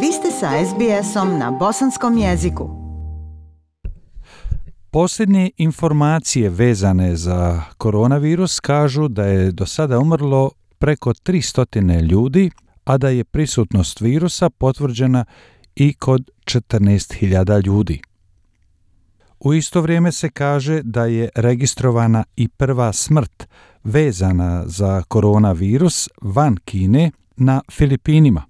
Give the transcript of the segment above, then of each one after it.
Vi ste sa SBS-om na bosanskom jeziku. Posljednje informacije vezane za koronavirus kažu da je do sada umrlo preko 300 ljudi, a da je prisutnost virusa potvrđena i kod 14.000 ljudi. U isto vrijeme se kaže da je registrovana i prva smrt vezana za koronavirus van Kine na Filipinima.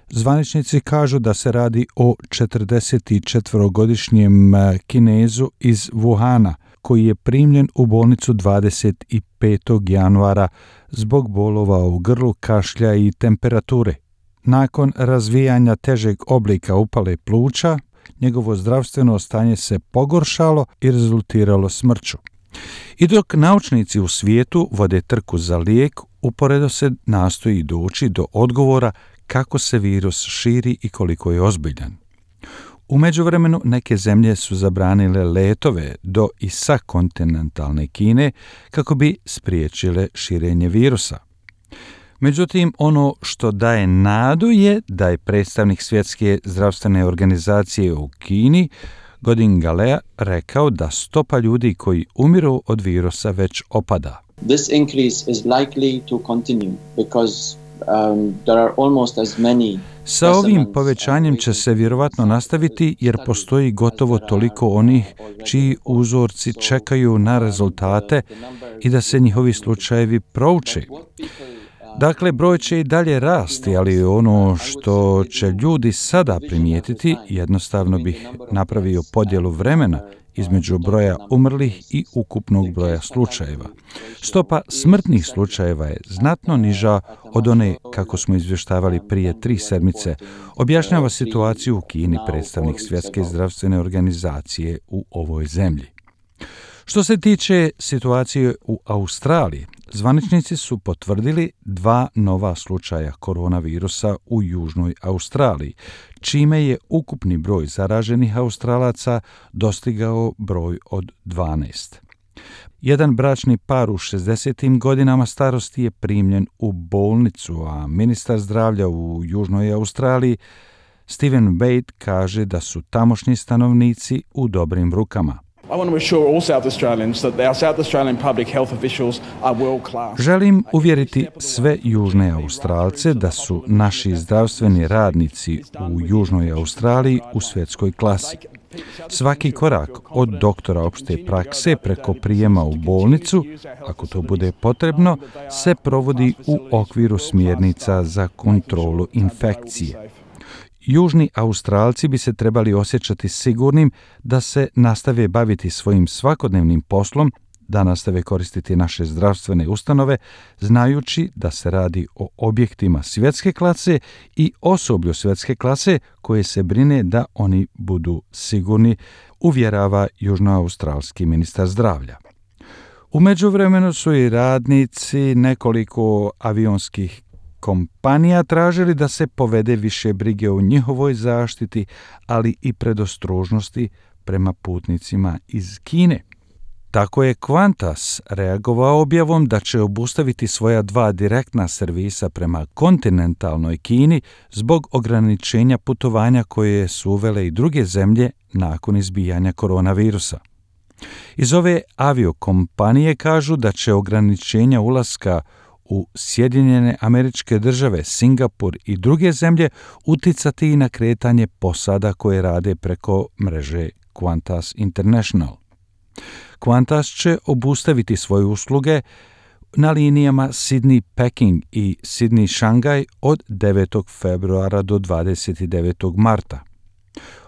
Zvaničnici kažu da se radi o 44-godišnjem Kinezu iz Wuhana, koji je primljen u bolnicu 25. januara zbog bolova u grlu, kašlja i temperature. Nakon razvijanja težeg oblika upale pluća, njegovo zdravstveno stanje se pogoršalo i rezultiralo smrću. I dok naučnici u svijetu vode trku za lijek, uporedo se nastoji doći do odgovora kako se virus širi i koliko je ozbiljan. U međuvremenu neke zemlje su zabranile letove do i sa kontinentalne Kine kako bi spriječile širenje virusa. Međutim, ono što daje nadu je da je predstavnik Svjetske zdravstvene organizacije u Kini, Godin Galea, rekao da stopa ljudi koji umiru od virusa već opada. This increase is likely to continue because there are almost as many. Sa ovim povećanjem će se vjerovatno nastaviti jer postoji gotovo toliko onih čiji uzorci čekaju na rezultate i da se njihovi slučajevi prouče. Dakle, broj će i dalje rasti, ali ono što će ljudi sada primijetiti, jednostavno bih napravio podjelu vremena između broja umrlih i ukupnog broja slučajeva. Stopa smrtnih slučajeva je znatno niža od one kako smo izvještavali prije 3 sedmice, objašnjava situaciju u Kini predstavnik Svjetske zdravstvene organizacije u ovoj zemlji. Što se tiče situacije u Australiji, zvaničnici su potvrdili 2 nova slučaja koronavirusa u Južnoj Australiji, čime je ukupni broj zaraženih Australaca dostigao broj od 12. Jedan bračni par u 60. godinama starosti je primljen u bolnicu, a ministar zdravlja u Južnoj Australiji Stephen Bate kaže da su tamošnji stanovnici u dobrim rukama. Želim uvjeriti sve Južne Australce da su naši zdravstveni radnici u Južnoj Australiji u svjetskoj klasi. Svaki korak od doktora opšte prakse preko prijema u bolnicu, ako to bude potrebno, se provodi u okviru smjernica za kontrolu infekcije. Južni Australci bi se trebali osjećati sigurnim da se nastave baviti svojim svakodnevnim poslom, da nastave koristiti naše zdravstvene ustanove, znajući da se radi o objektima svjetske klase i osoblju svjetske klase koje se brine da oni budu sigurni, uvjerava južnoaustralski ministar zdravlja. U međuvremenu su i radnici nekoliko avionskih kompanija tražili da se povede više brige o njihovoj zaštiti, ali i predostrožnosti prema putnicima iz Kine. Tako je Qantas reagovao objavom da će obustaviti svoja 2 direktna servisa prema kontinentalnoj Kini zbog ograničenja putovanja koje su uvele i druge zemlje nakon izbijanja koronavirusa. Iz ove aviokompanije kažu da će ograničenja ulaska u Sjedinjene Američke Države, Singapur i druge zemlje uticati i na kretanje posada koje rade preko mreže Qantas International. Qantas će obustaviti svoje usluge na linijama Sydney-Peking i Sydney-Šangaj od 9. februara do 29. marta.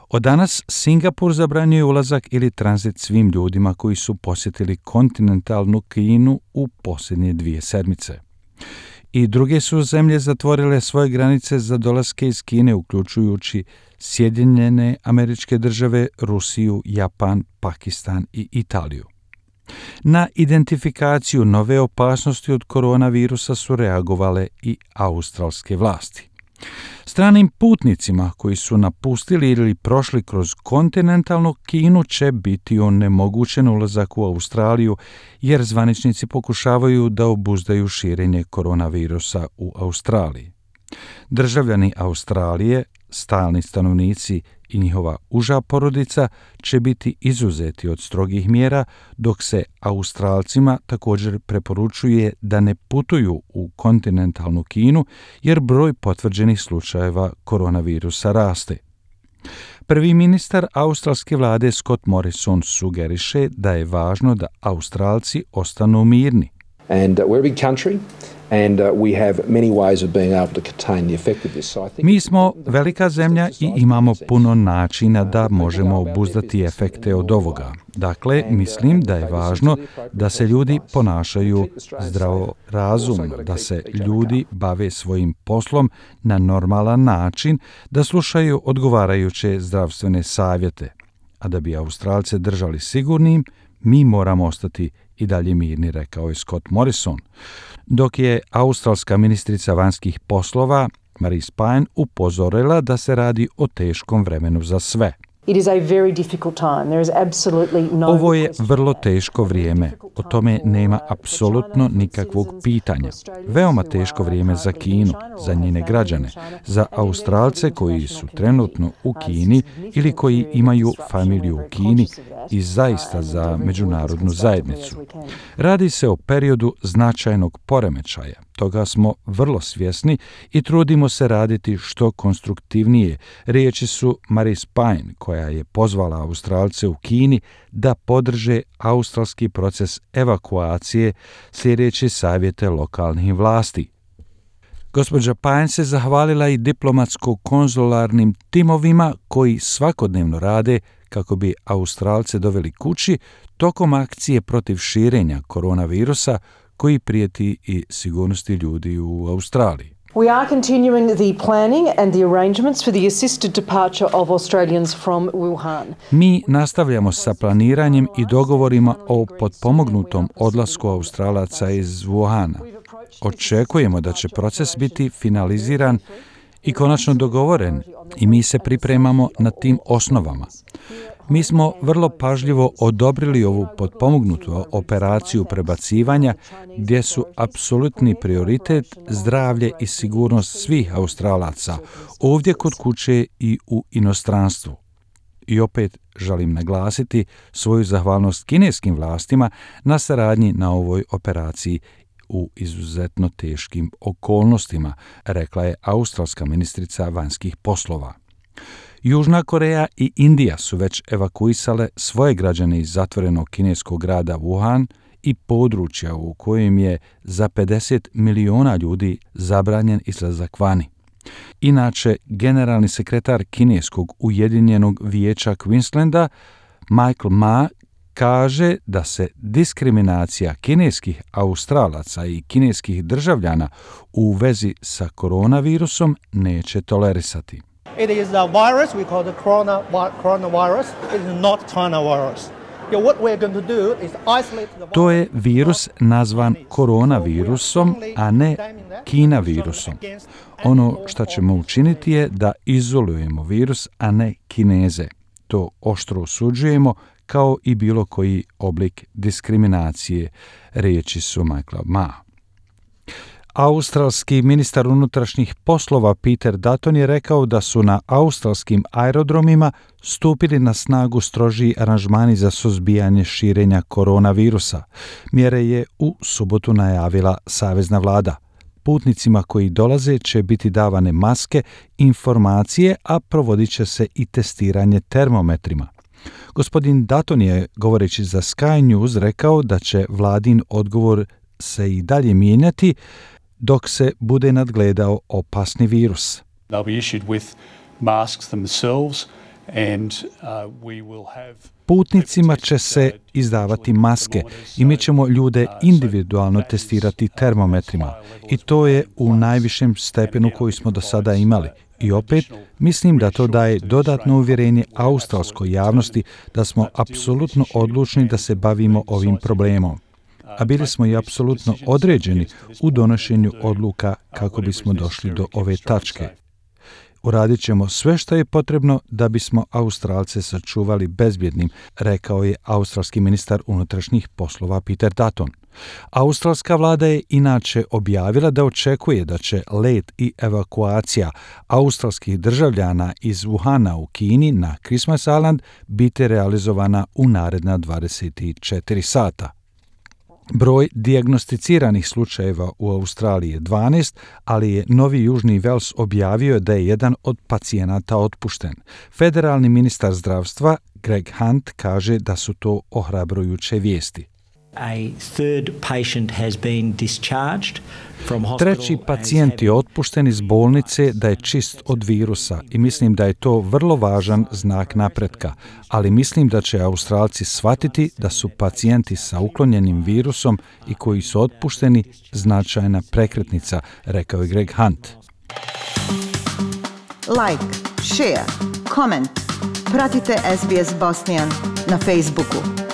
Od danas Singapur zabranjuje ulazak ili tranzit svim ljudima koji su posjetili kontinentalnu Kinu u posljednje 2 sedmice. I druge su zemlje zatvorile svoje granice za dolaske iz Kine, uključujući Sjedinjene Američke Države, Rusiju, Japan, Pakistan i Italiju. Na identifikaciju nove opasnosti od koronavirusa su reagovale i australske vlasti. Stranim putnicima koji su napustili ili prošli kroz kontinentalnu Kinu će biti onemogućen ulazak u Australiju, jer zvaničnici pokušavaju da obuzdaju širenje koronavirusa u Australiji. Državljani Australije, stalni stanovnici i njihova uža porodica će biti izuzeti od strogih mjera, dok se Australcima također preporučuje da ne putuju u kontinentalnu Kinu jer broj potvrđenih slučajeva koronavirusa raste. Prvi ministar australske vlade Scott Morrison sugeriše da je važno da Australci ostanu mirni. And we're a big country and we have many ways of being able to contain the effect of this. So I think Mi smo velika zemlja i imamo puno načina da možemo obuzdati efekte od ovoga. Dakle, mislim da je važno da se ljudi ponašaju zdravorazumno, da se ljudi bave svojim poslom na normalan način, da slušaju odgovarajuće zdravstvene savjete. A da bi Australce držali sigurnim, mi moramo ostati i dalje mirni, rekao je Scott Morrison. Dok je australska ministrica vanjskih poslova Marise Payne upozorila da se radi o teškom vremenu za sve. Ovo je vrlo teško vrijeme, o tome nema apsolutno nikakvog pitanja. Veoma teško vrijeme za Kinu, za njene građane, za Australce koji su trenutno u Kini ili koji imaju familiju u Kini i zaista za međunarodnu zajednicu. Radi se o periodu značajnog poremećaja. Toga smo vrlo svjesni i trudimo se raditi što konstruktivnije. Riječi su Marise Payne, koja je pozvala Australce u Kini da podrže australski proces evakuacije slijedeći savjete lokalnih vlasti. Gospođa Payne se zahvalila i diplomatsko-konzularnim timovima koji svakodnevno rade kako bi Australce doveli kući tokom akcije protiv širenja koronavirusa koji prijeti i sigurnosti ljudi u Australiji. We are continuing the planning and the arrangements for the assisted departure of Australians from Wuhan. Mi nastavljamo sa planiranjem i dogovorima o potpomognutom odlasku Australaca iz Wuhana. Očekujemo da će proces biti finaliziran i konačno dogovoren i mi se pripremamo na tim osnovama. Mi smo vrlo pažljivo odobrili ovu potpomognutu operaciju prebacivanja gdje su apsolutni prioritet zdravlje i sigurnost svih Australaca, ovdje kod kuće i u inostranstvu. I opet želim naglasiti svoju zahvalnost kineskim vlastima na saradnji na ovoj operaciji u izuzetno teškim okolnostima, rekla je australska ministrica vanjskih poslova. Južna Koreja i Indija su već evakuisale svoje građane iz zatvorenog kineskog grada Wuhan i područja u kojem je za 50 miliona ljudi zabranjen izlazak vani. Inače, generalni sekretar kineskog Ujedinjenog vijeća Queenslanda Michael Ma kaže da se diskriminacija kineskih Australaca i kineskih državljana u vezi sa koronavirusom neće tolerisati. It is a virus we call the coronavirus. It is not China virus. What we're going to do is isolate the virus. To je virus nazvan koronavirusom, a ne Kina virusom. Ono što ćemo učiniti je da izolujemo virus, a ne Kineze. To oštro osuđujemo kao i bilo koji oblik diskriminacije, riječi su Michaela Ma. Australski ministar unutrašnjih poslova Peter Dutton je rekao da su na australskim aerodromima stupili na snagu strožiji aranžmani za suzbijanje širenja koronavirusa. Mjere je u subotu najavila savezna vlada. Putnicima koji dolaze će biti davane maske, informacije, a provodit će se i testiranje termometrima. Gospodin Dutton je, govoreći za Sky News, rekao da će vladin odgovor se i dalje mijenjati dok se bude nadgledao opasni virus. They'll be issued with masks themselves and we will have Putnicima će se izdavati maske i mi ćemo ljude individualno testirati termometrima i to je u najvišem stepenu koji smo do sada imali. I opet, mislim da to daje dodatno uvjerenje australskoj javnosti da smo apsolutno odlučni da se bavimo ovim problemom. A bili smo i apsolutno određeni u donošenju odluka kako bismo došli do ove tačke. Uradit ćemo sve što je potrebno da bismo Australce sačuvali bezbjednim, rekao je australski ministar unutrašnjih poslova Peter Dutton. Australska vlada je inače objavila da očekuje da će let i evakuacija australskih državljana iz Wuhana u Kini na Christmas Island biti realizovana u naredna 24 sata. Broj dijagnosticiranih slučajeva u Australiji je 12, ali je Novi Južni Vels objavio da je jedan od pacijenata otpušten. Federalni ministar zdravstva Greg Hunt kaže da su to ohrabrujuće vijesti. Treći pacijent je otpušten iz bolnice da je čist od virusa i mislim da je to vrlo važan znak napretka, ali mislim da će Australci shvatiti da su pacijenti sa uklonjenim virusom i koji su otpušteni značajna prekretnica, rekao je Greg Hunt. Like, share, comment. Pratite SBS Bosnian na Facebooku.